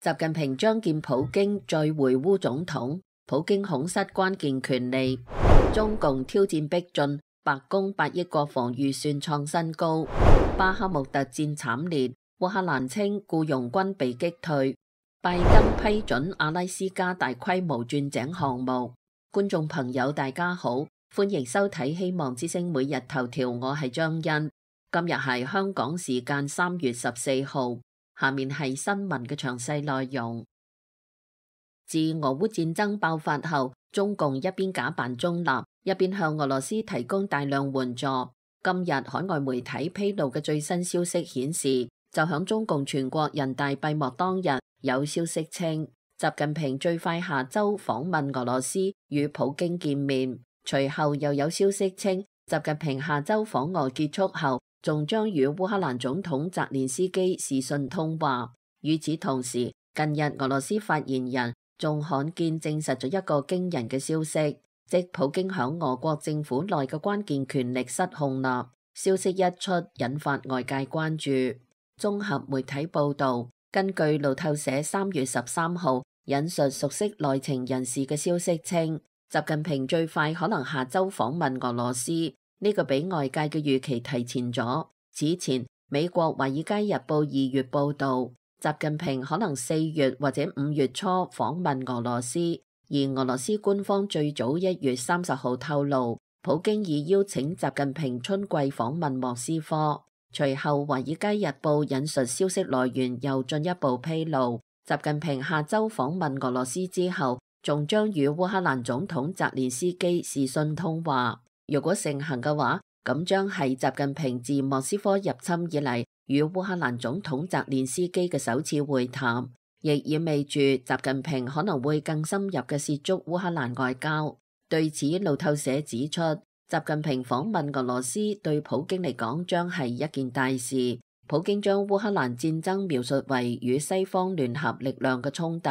習近平將見普京再會烏總統，普京恐失關鍵權利。中共挑戰逼近，白宮8億國防預算創新高。巴克穆特戰慘烈，烏克蘭稱僱傭軍被擊退。拜登批准阿拉斯加大規模鑽井項目。觀眾朋友大家好，歡迎收睇希望之聲每日頭條，我係張欣。今日係香港時間3月14號。下面係新聞嘅詳細內容。自俄烏戰爭爆發後，中共一邊假扮中立，一邊向俄羅斯提供大量援助。今日海外媒體披露嘅最新消息顯示，就響中共全國人大閉幕當日，有消息稱習近平最快下周訪問俄羅斯與普京見面。隨後又有消息稱，習近平下周訪俄結束後，仲將與烏克蘭總統澤連斯基視訊通話。與此同時，近日俄羅斯發言人仲罕見證實咗一個驚人嘅消息，即普京響俄國政府內嘅關鍵權力失控啦。消息一出，引發外界關注。綜合媒體報道，根據路透社3月13號引述熟悉內情人士嘅消息稱，習近平最快可能下周訪問俄羅斯。呢個比外界嘅預期提前咗。此前，美國《華爾街日報》2月報道，習近平可能4月或者5月初訪問俄羅斯。而俄羅斯官方最早1月30號透露，普京已邀請習近平春季訪問莫斯科。隨後，《華爾街日報》引述消息來源又進一步披露，習近平下周訪問俄羅斯之後，仲將與烏克蘭總統澤連斯基視訊通話。如果成行嘅話，咁將係習近平自莫斯科入侵以嚟與烏克蘭總統澤連斯基嘅首次會談，亦意味住習近平可能會更深入嘅涉足烏克蘭外交。對此，路透社指出，習近平訪問俄羅斯對普京嚟講將係一件大事。普京將烏克蘭戰爭描述為與西方聯合力量嘅衝突，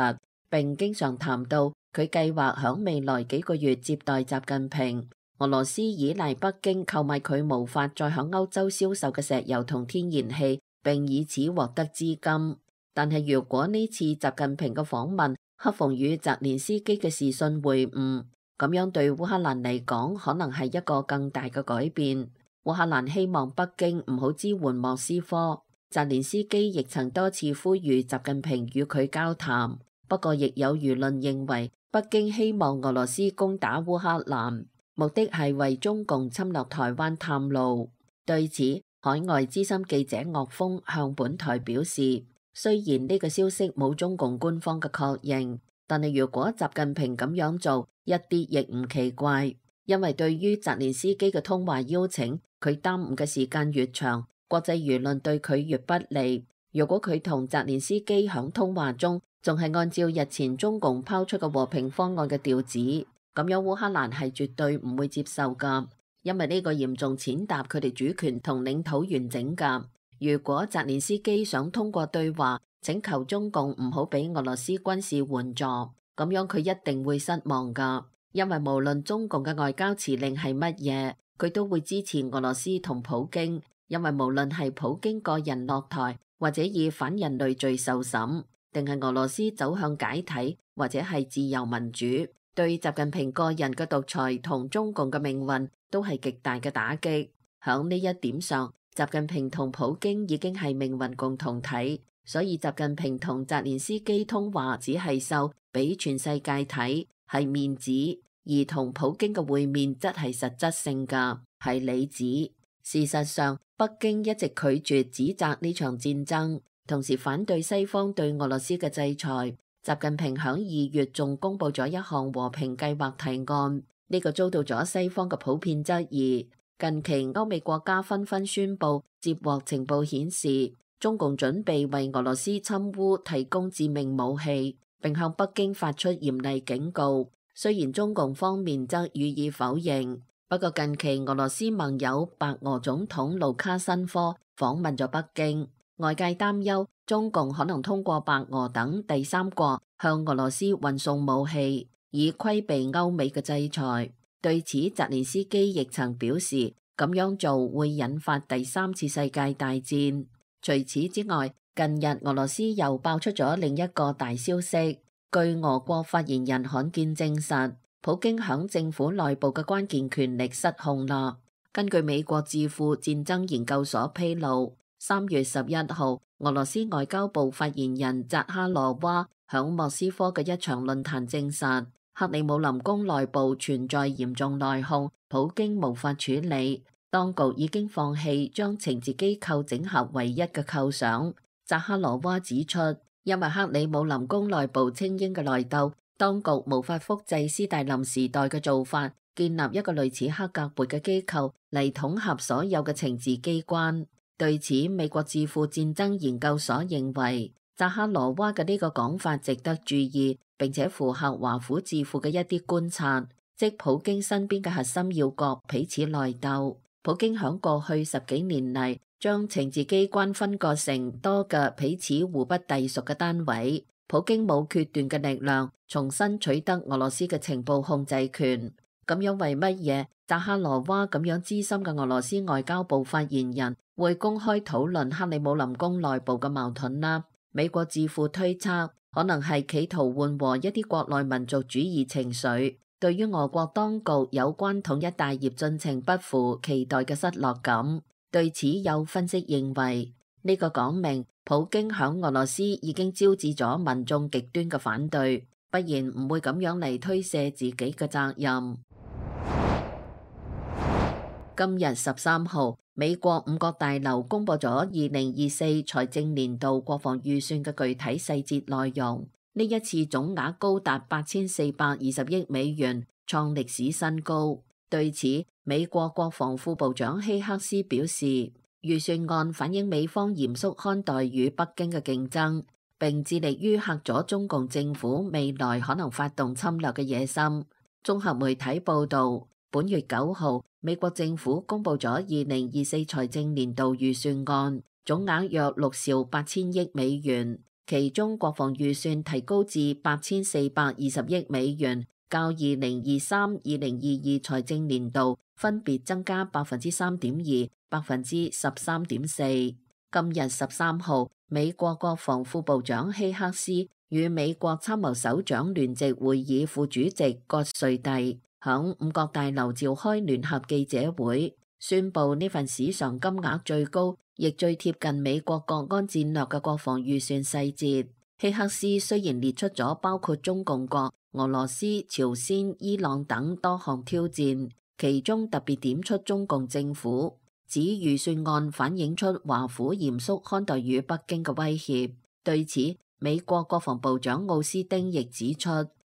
並經常談到佢計劃響未來幾個月接待習近平。俄羅斯依賴北京購買佢無法再響歐洲銷售嘅石油同天然氣，並以此獲得資金。但係如果呢次習近平嘅訪問恰逢與澤連斯基嘅視訊會晤，咁樣對烏克蘭嚟講可能係一個更大嘅改變。烏克蘭希望北京唔好支援莫斯科，澤連斯基亦曾多次呼籲習近平與佢交談。不過亦有輿論認為，北京希望俄羅斯攻打烏克蘭，目的係為中共侵略台灣探路。對此，海外資深記者岳峰向本台表示，雖然呢個消息冇中共官方嘅確認，但係如果習近平咁樣做，一啲亦唔奇怪。因為對於澤連斯基嘅通話邀請，佢耽誤嘅時間越長，國際輿論對佢越不利。如果佢同澤連斯基響通話中仲係按照日前中共拋出嘅和平方案嘅調子，咁樣烏克蘭係絕對唔會接受噶，因為呢個嚴重踐踏佢哋主權同領土完整噶。如果澤連斯基想通過對話請求中共唔好俾俄羅斯軍事援助，咁樣佢一定會失望噶，因為無論中共嘅外交辭令係乜嘢，佢都會支持俄羅斯同普京，因為無論係普京個人落台，或者以反人類罪受審，定係俄羅斯走向解體，或者係自由民主，對習近平個人嘅獨裁同中共嘅命運都係極大嘅打擊。響呢一點上，習近平同普京已經係命運共同體，所以習近平同澤連斯基通話只係秀俾全世界睇，係面子；而同普京嘅會面則係實質性㗎，係里子。事實上，北京一直拒絕指責呢場戰爭，同時反對西方對俄羅斯嘅制裁。習近平響2月仲公布咗一項和平計劃提案，呢個遭到咗西方嘅普遍質疑。近期歐美國家紛紛宣布接獲情報顯示，中共準備為俄羅斯侵烏提供致命武器，並向北京發出嚴厲警告。雖然中共方面則予以否認，不過近期俄羅斯盟友白俄總統盧卡申科訪問咗北京，外界擔憂中共可能通過白俄等第三國向俄羅斯運送武器，以規避歐美嘅制裁。對此，澤連斯基亦曾表示，咁樣做會引發第三次世界大戰。除此之外，近日俄羅斯又爆出咗另一個大消息，據俄國發言人罕見證實，普京響政府內部嘅關鍵權力失控啦。根據美國智庫戰爭研究所披露，3月11號，俄羅斯外交部發言人扎哈羅娃響莫斯科嘅一場論壇證實，克里姆林宮內部存在嚴重內訌，普京無法處理，當局已經放棄將情治機構整合為一嘅構想。扎哈羅娃指出，因為克里姆林宮內部精英嘅內鬥，當局無法複製斯大林時代嘅做法，建立一個類似克格勃嘅機構嚟統合所有嘅情治機關。對此，美國智庫戰爭研究所認為，扎哈羅娃嘅呢個講法值得注意，並且符合華府智庫嘅一啲觀察，即普京身邊嘅核心要角彼此內鬥。普京響過去10幾年嚟，將情治機關分割成多個彼此互不隸屬嘅單位。普京冇決斷嘅力量，重新取得俄羅斯嘅情報控制權。咁樣為乜嘢扎哈羅娃咁樣資深嘅俄羅斯外交部發言人會公開討論克里姆林宮內部嘅矛盾啦？美國智庫推測，可能係企圖緩和一啲國內民族主義情緒，對於俄國當局有關統一大業進程不符期待嘅失落感。對此有分析認為，呢個講明普京響俄羅斯已經招致咗民眾極端嘅反對，不然唔會咁樣嚟推卸自己嘅責任。今日13號，美國5角大樓公布咗2024財政年度國防預算嘅具體細節內容。呢一次總額高達8420億美元，創歷史新高。對此，美國國防副部長希克斯表示，預算案反映美方嚴肅看待與北京嘅競爭，並致力於嚇阻中共政府未來可能發動侵略嘅野心。綜合媒體報導，本月9號，美國政府公布咗2024財政年度預算案，總額約6兆8000億美元，其中國防預算提高至8420億美元，較2023-2022財政年度分別增加3.2%、13.4%。今日13號，美國國防副部長希克斯與美國參謀首長聯席會議副主席葛瑞蒂響5角大樓召開聯合記者會，宣布呢份史上金額最高，亦最貼近美國國安戰略嘅國防預算細節。希克斯雖然列出咗包括中共國、俄羅斯、朝鮮、伊朗等多項挑戰，其中特別點出中共政府，指預算案反映出華府嚴肅看待與北京嘅威脅。對此，美國國防部長奧斯汀亦指出，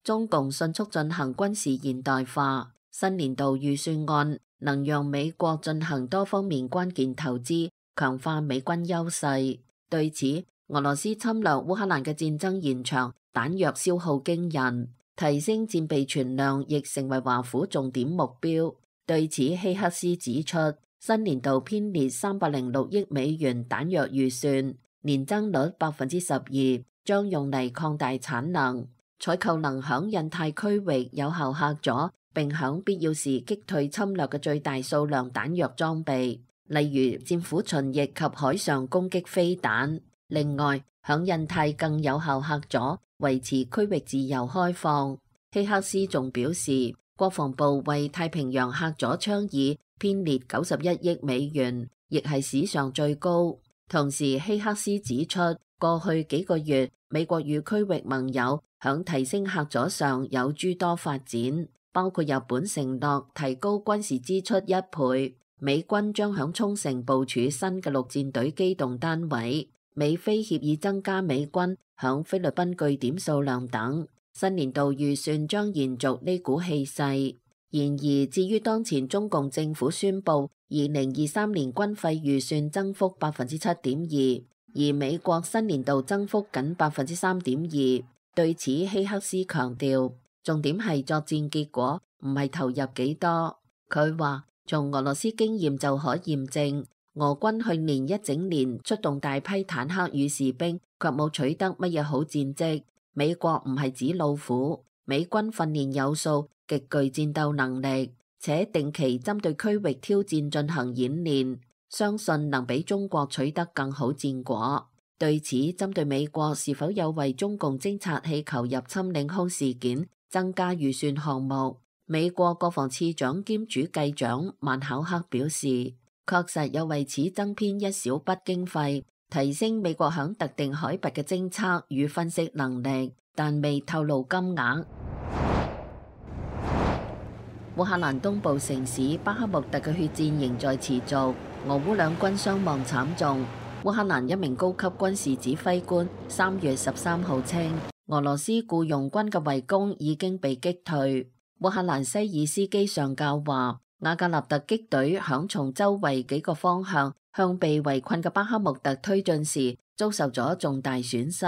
中共迅速進行軍事現代化，新年度預算案能讓美國進行多方面關鍵投資，強化美軍優勢。對此，俄羅斯侵略烏克蘭嘅戰爭延長，彈藥消耗驚人，提升戰備存量亦成為華府重點目標。對此，希克斯指出，新年度編列306億美元彈藥預算，年增率12%，將用嚟擴大產能。採購能響印太區域有效嚇阻，並響必要時擊退侵略嘅最大數量彈藥裝備，例如戰斧巡弋及海上攻擊飛彈。另外，響印太更有效嚇阻，維持區域自由開放。希克斯仲表示，國防部為太平洋嚇阻倡議編列91億美元，亦係史上最高。同時，希克斯指出，過去幾個月，美國與區域盟友響提升嚇阻上有諸多發展，包括日本承諾提高軍事支出1倍，美軍將響沖繩部署新嘅陸戰隊機動單位，美菲協議增加美軍響菲律賓據點數量等。新年度預算將延續呢股氣勢。然而，至於當前中共政府宣布2023年軍費預算增幅7.2%，而美國新年度增幅僅3.2%。對此，希克斯強調，重點係作戰結果，唔係投入幾多。佢話，從俄羅斯經驗就可驗證，俄軍去年一整年出動大批坦克與士兵，卻冇取得乜嘢好戰績。美國唔係紙老虎，美軍訓練有素，極具戰鬥能力，且定期針對區域挑戰進行演練，相信能比中國取得更好戰果。對此，針對美國是否有為中共偵察氣球入侵領空事件增加預算項目，美國國防次長兼主計長曼考克表示，確實有為此增編一小筆經費，提升美國響特定海拔嘅偵測與分析能力，但未透露金額。烏克蘭東部城市巴克穆特嘅血戰仍在持續，俄烏兩軍傷亡慘重。烏克蘭一名高級軍事指揮官3月13號稱，俄羅斯僱傭軍嘅圍攻已經被擊退。烏克蘭西爾斯基上校話，瓦格納特擊隊響從周圍幾個方向向被圍困嘅巴克穆特推進時，遭受咗重大損失。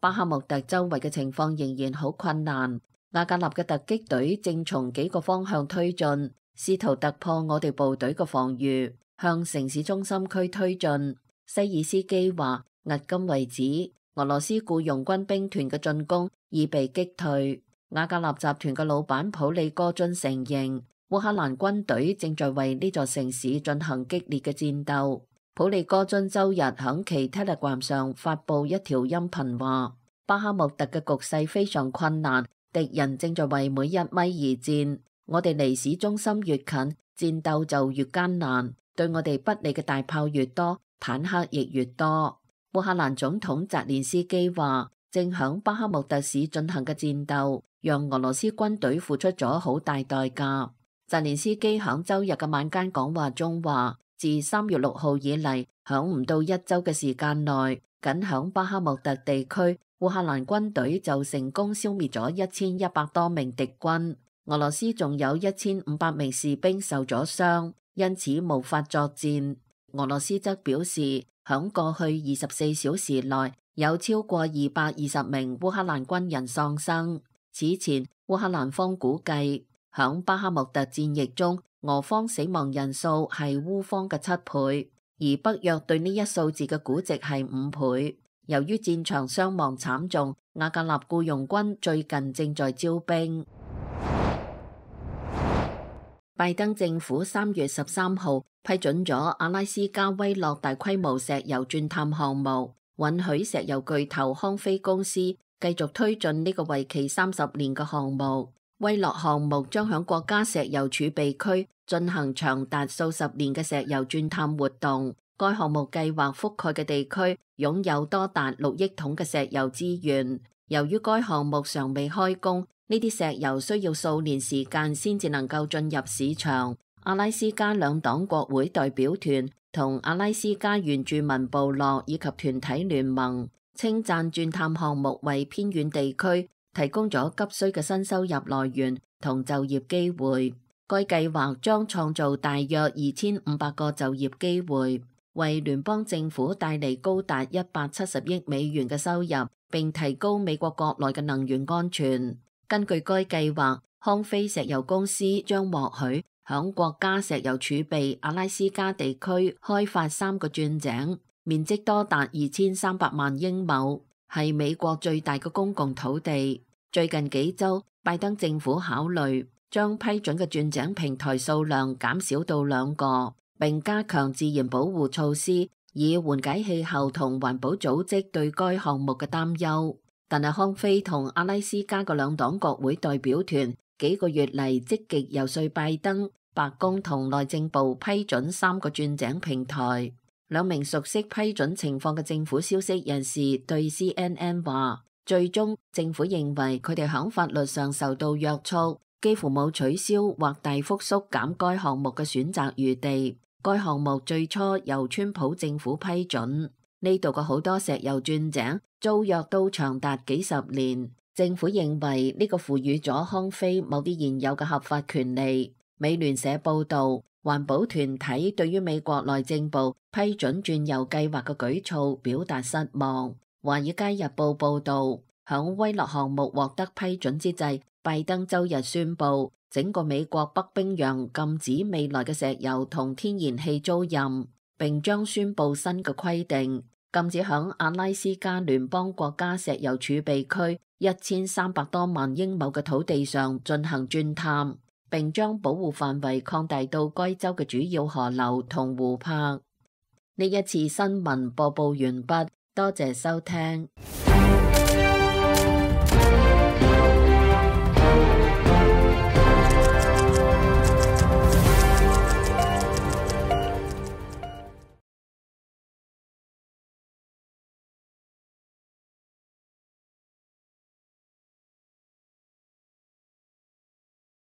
巴克穆特周圍嘅情況仍然好困難。瓦格納嘅突擊隊正從幾個方向推進，試圖突破我哋部隊嘅防禦，向城市中心區推進。西爾斯基話，迄今為止，俄羅斯僱傭軍兵團嘅進攻已被擊退。瓦格納集團嘅老闆普利戈津承認，烏克蘭軍隊正在為呢座城市進行激烈嘅戰鬥。普利戈津周日響其 Telegram 上發布一條音頻話，巴克穆特嘅局勢非常困難，敵人正在為每一米而戰。我哋離市中心越近，戰鬥就越艱難，對我哋不利嘅大炮越多，坦克亦越多。烏克蘭總統澤連斯基話，正響巴克穆特市進行嘅戰鬥，讓俄羅斯軍隊付出咗好大代價。澤連斯基響周日嘅晚間講話中話，自3月6號以嚟，響唔到1週嘅時間內，僅響巴克穆特地區，烏克蘭軍隊就成功消滅咗1100多名敵軍。俄羅斯仲有1500名士兵受咗傷，因此無法作戰。俄羅斯則表示，響過去24小時內有超過220名烏克蘭軍人喪生。此前，烏克蘭方估計響巴克穆特戰役中，俄方死亡人數係烏方嘅7倍，而北約對呢一數字嘅估值係5倍。由於戰場傷亡慘重，瓦格納僱傭軍最近正在招兵。拜登政府3月13號批准咗阿拉斯加威洛大規模石油鑽探項目，允許石油巨頭康菲公司繼續推進呢個為期30年嘅項目。威洛項目將響國家石油儲備區進行長達數十年嘅石油鑽探活動。該項目計劃覆蓋嘅地區擁有多達6億桶嘅石油資源。由於該項目尚未開工，呢啲石油需要數年時間先至能夠進入市場。阿拉斯加兩黨國會代表團同阿拉斯加原住民部落以及團體聯盟稱讚鑽探項目為偏遠地區提供咗急需嘅新收入來源同就業機會。該計劃將創造大約2500個就業機會，為聯邦政府帶嚟高達170億美元嘅收入，並提高美國國內嘅能源安全。根據該計劃，康菲石油公司將獲許響國家石油儲備阿拉斯加地區開發3個鑽井，面積多達2300萬英畝，係美國最大嘅公共土地。最近幾週，拜登政府考慮將批准嘅鑽井平台數量減少到2個，並加強自然保護措施，以緩解氣候同環保組織對該項目嘅擔憂。但係康菲同阿拉斯加嘅兩黨國會代表團幾個月嚟積極遊說拜登、白宮同內政部批准3個鑽井平台。兩名熟悉批准情況嘅政府消息人士對 CNN 話，最終政府認為佢哋響法律上受到約束，幾乎冇取消或大幅縮減該項目嘅選擇餘地。該項目最初由川普政府批准。呢度嘅好多石油鑽井租約都長達幾十年，政府認為呢個賦予咗康菲某啲現有嘅合法權利。美聯社報道，環保團體對於美國內政部批准鑽油計劃嘅舉措表達失望。華爾街日報報道，響威洛項目獲得批准之際，拜登周日宣布整個美國北冰洋禁止未來嘅石油同天然氣租賃，並將宣布新嘅規定，禁止響阿拉斯加聯邦國家石油儲備區1300多萬英畝嘅土地上進行鑽探，並將保護範圍擴大到該州嘅主要河流同湖泊。呢一次新聞播報完畢。多謝收聽。